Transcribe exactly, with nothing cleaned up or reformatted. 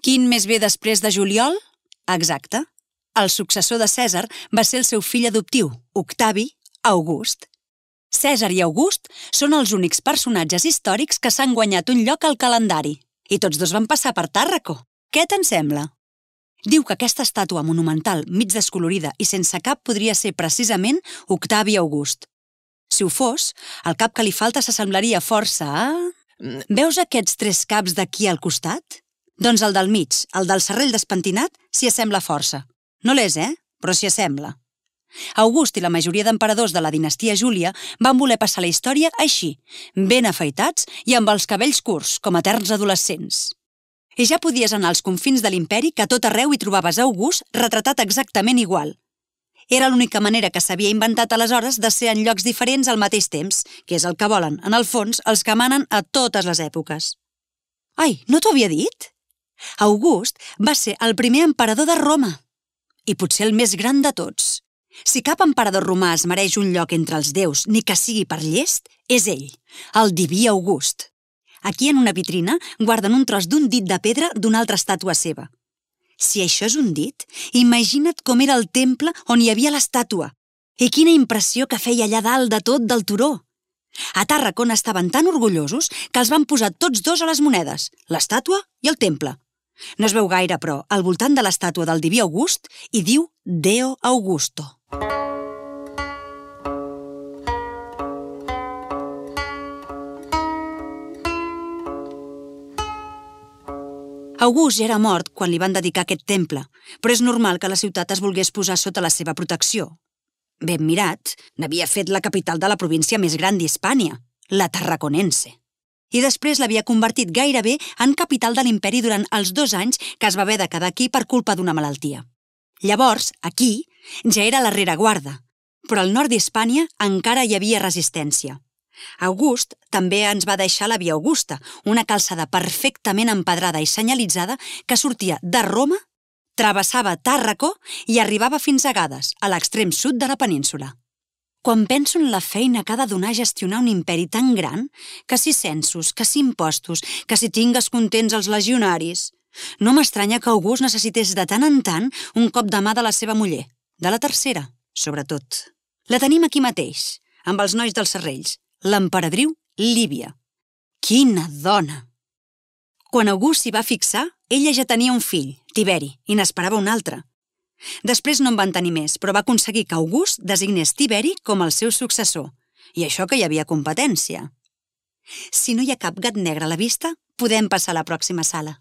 Quin mes ve després de juliol? Exacte. El successor de Cèsar va ser el seu fill adoptiu, Octavi August. Cèsar i August són els únics personatges històrics que s'han guanyat un lloc al calendari. I tots dos van passar per Tàrraco. Què te'n sembla? Diu que aquesta estàtua monumental, mig descolorida i sense cap podria ser precisament Octavi August. Si ho fos, el cap que li falta s'assemblaria força a... Veus aquests tres caps d'aquí al costat? Doncs el del mig, el del serrell despentinat, s'hi assembla força. No l'és, eh? Però s'hi assembla. August i la majoria d'emperadors de la dinastia Júlia van voler passar la història així, ben afaitats i amb els cabells curts, com eterns adolescents. I ja podies anar als confins de l'imperi que a tot arreu hi trobaves August retratat exactament igual. Era l'única manera que s'havia inventat aleshores de ser en llocs diferents al mateix temps, que és el que volen, en el fons, els que manen a totes les èpoques. Ai, no t'ho havia dit? August va ser el primer emperador de Roma. I potser el més gran de tots. Si cap emperador romà es mereix un lloc entre els déus, ni que sigui per llest, és ell, el diví August. Aquí en una vitrina guarden un tros d'un dit de pedra d'una altra estàtua seva. Si això és un dit, imagina't com era el temple on hi havia l'estàtua. I quina impressió que feia allà dalt de tot del turó. A Tàrraco estaven tan orgullosos que els van posar tots dos a les monedes, l'estàtua i el temple. No es veu gaire, però, al voltant de l'estàtua del diví August hi diu Deo Augusto. August ja era mort quan li van dedicar aquest temple, però és normal que la ciutat es volgués posar sota la seva protecció. Ben mirat, n'havia fet la capital de la província més gran d'Hispània, la Tarraconense. I després l'havia convertit gairebé en capital de l'imperi durant els dos anys que es va haver de quedar aquí per culpa d'una malaltia. Llavors, aquí, ja era la rereguarda, però al nord d'Hispània encara hi havia resistència. August també ens va deixar la Via Augusta, una calçada perfectament empedrada i senyalitzada que sortia de Roma, travessava Tàrraco i arribava fins a Gades, a l'extrem sud de la península. Quan penso en la feina que ha de donar gestionar un imperi tan gran, que si censos, que si impostos, que si tingues contents els legionaris, no m'estranya que August necessités de tant en tant un cop de mà de la seva muller, de la tercera, sobretot. La tenim aquí mateix, amb els nois dels serrells, l'emperadriu Lívia. Quina dona! Quan August s'hi va fixar, ella ja tenia un fill, Tiberi, i n'esperava un altre. Després no en van tenir més, però va aconseguir que August designés Tiberi com el seu successor, i això que hi havia competència. Si no hi ha cap gat negre a la vista, podem passar a la pròxima sala.